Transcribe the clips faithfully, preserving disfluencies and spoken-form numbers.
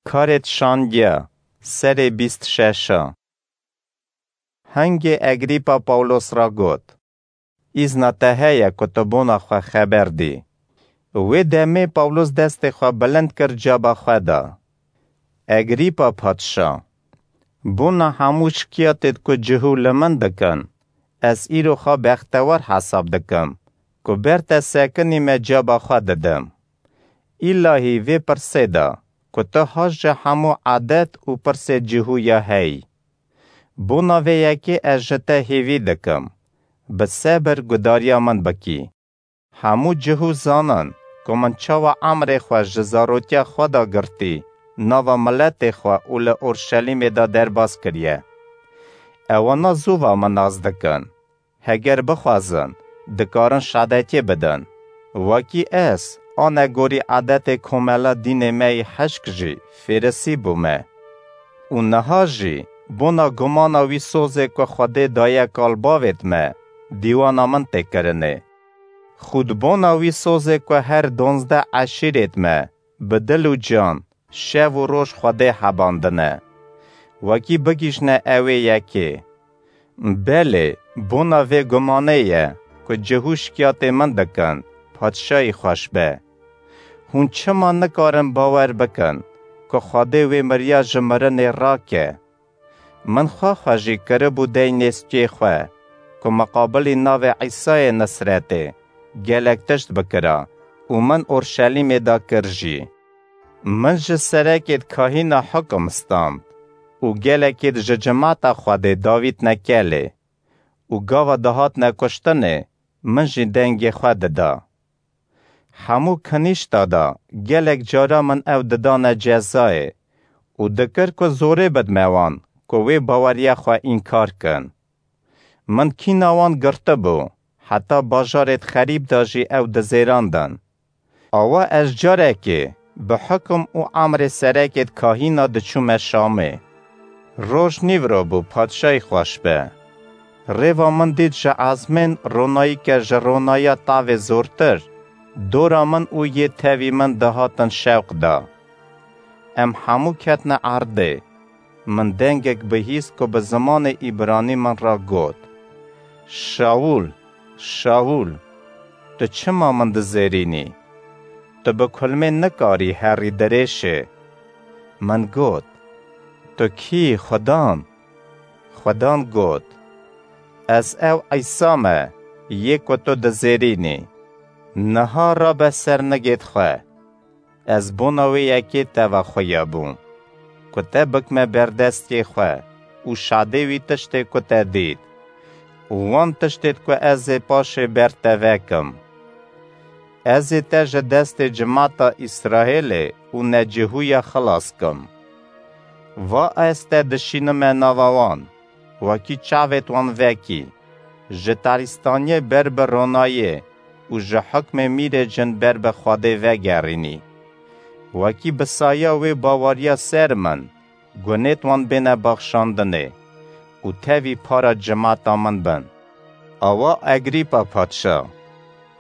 Karêt şandiya, serê bîst şeşa. Hingê Egrîpa Pawlos ra got: "Îzna te heye ku tu bona xwe xeber dî." Wê demê Pawlos destê xwe bilind kir caba xwe da. Egrîpa padşa: "Bona hemû şikiyatêd ku cihû li min dikin, ez îro xwe bextewar hesab dikim ku ber te sekinî me caba xwe didim. Îlahî vê pirsê de ku tu has ji hemû edet û pirsê cihûya hey. Bona vê yekê ez ji te hêvî dikim, bi sebir gudariya min bikî. Hemû cihû zanin ku min çawa emrê xwe ji zarotiya xwe de girtî nava miletê xwe û li Orşelîmê de derbas kiriye. Ewana zû va min nas dikin. Heger bixwazin, dikarin şadetiyê bidin. Wekî ez, anegorî edetê komela dînê me yî hişk jî fêrisî bûme. Û niha jî bona gumana wî sozê ku Xwedê daye kal bavêt me, dîwana min tê kirinê. Xûd bona wî sozê ku her donzdeh eşîrêt me, bi dil û can, şev û roj Xwedê hebandine. Wekî bigîjne ewê yekê. Belê, bona vê gumanê ye ku cihû şikiyatê min dikin, padşayî xweş be. Hûn çima nikarin bawer bikin ku Xwedê wê miriya ji mirinê rake? Min xwe xwe jî kiribû dey nêskê xwe, ku miqabilî navê Îsayê Nisretê gelek tişt bikira û min Orşelîmê de kir jî. Min ji serekêd kahîna hukim stand û gelekêd ji cimata Xwedê davîtne kelê û gava dihatne kuştinê, min jî dengê xwe dida. Hemû kinîşta de gelek cara min ew didane cezayê û dikir ku zorê bidme wan ku wê baweriya xwe înkar kin. Min kîna wan girtibû, heta bajarêd xerîb de jî ew dizêrandin. Awa ez carekê bi hukum û emrê serekêd kahîna diçûme Şamê. Roj nîvro bû, padşayî xweş be. Rêva min dît ji ezmên ronayîke ji ronaya tavê zortir, dora min û yê tevî min dihatin şewq da. Em hemû ketine erdê. Min dengek bihîst ku bi zimanê îbranî min re got: "Şawûl, Şawûl, tu çima min dizêrînî? Tu bi kulmê nikarî herî dirêşê." Min got: "Tu kî yî, Xudan?" Xudan got: "Ez ew Îsa me, yê ku tu dizêrînî. Niha rabe ser nigêd xwe. Ez bona wê yekê te ve xuyabûm, ku te bikme ber destê xwe û şadê wî tiştê ku te dît û wan tiştêd ku ez ê paşê ber te vekim. Ez ê te ji destê cimata Îsraêlê û necihûya xilas kim. Va ez te dişînime nava wan, wekî çavêt wan vekî, ji tarîstaniyê ber bi ronayê û ji hukmê mîrê cin ber bi Xwedê vegerînî. Wekî bi saya wê baweriya ser min, gunêt wan bêne baxşandinê û tevî para cimata min bin." Awa Egrîpa padşa: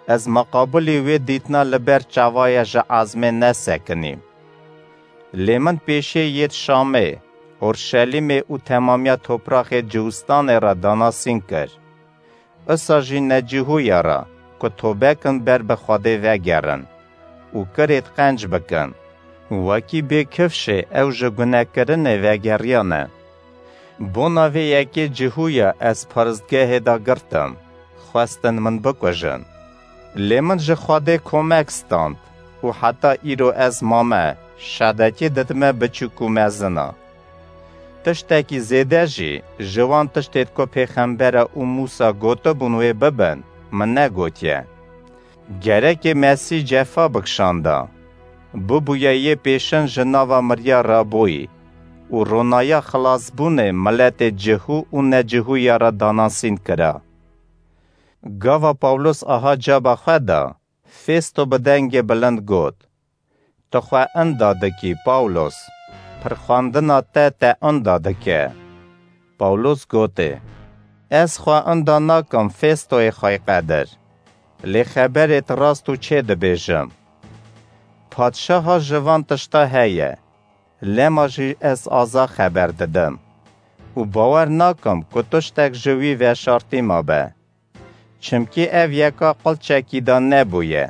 "Ez miqabilî wê dîtina li ber çavaya ji ezmê nesekinîm. Lê min pêşê yêd Şamê, Orşelîmê û temamiya topraxê Ciwistanê re danasîn kir. Isa jî necihûya re ku tobe kin ber bi Xwedê vegerin û kirêd qenc bikin, wekî bê kifşê ew ji gunekirinê vegeriyane. Bona vê yekê cihûya ez paristgehê de girtim, xwestin min bikujin. Lê min ji Xwedê komek stand û heta îro ez mame, şadetiyê didime biçûk û mezina. Tiştekî zêde jî ji wan tiştêd ku pêxembera û Mûsa gotibûn wê bibin, min negotiye. Gerekê Mesîh cefa bikişanda, bibûye yê pêşin ji nava miriya rabûyî û ronaya xilasbûnê miletê cihû û necihûya re danasîn kira." Gava Pawlos aha caba xwe da, Festo bi dengê bilind got: "Tu xwe inda dikî, Pawlos, pirxandina te te inda dike." Pawlos gotê: "Ez xwe inda nakim, Festoyê xweyqedir, lê xeberêd rast û çê dibêjim. Padşaha ji van tişta heye. lema jî ez aza xeber didim û bawer nakim ku tiştek ji wî veşartî mabe. Çimkî ev yeka qil çekîdan nebûye.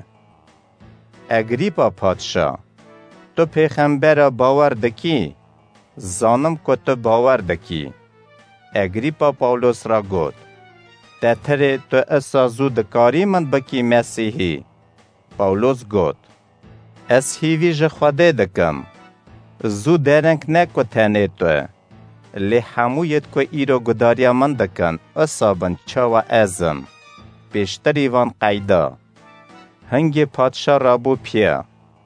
Egrîpa padşa, tu pêxembera bawer dikî? Zanim ku tu bawer dikî. Egrîpa Pawlos re got, Te tirê tu isa zû dikarî min bikî Mesîhî? Pawlos got, Ez hîvî ji Xwedê dikim. Zû dereng ne ku tenê tu, lê hemû yêd ku îro gudariya min dikin, isa bin çawa ez im. Pêştirî van qeyda. Hingê padşa rabû piya,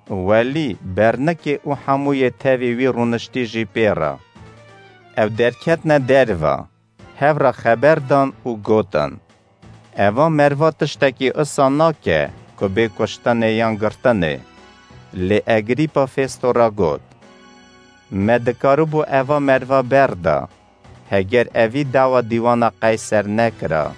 welî bernikê û hemû yê tevî wî rûniştî jî pê re. Ew derketine derve, hev re xeber dan û gotin, Eva merva tiştekî isa nake ku bê kuştinê yan girtinê. Lê Egrîpa Festo re got, Me dikaribû eva merva berda, heger evî dawa dîwana Qeyser nekira.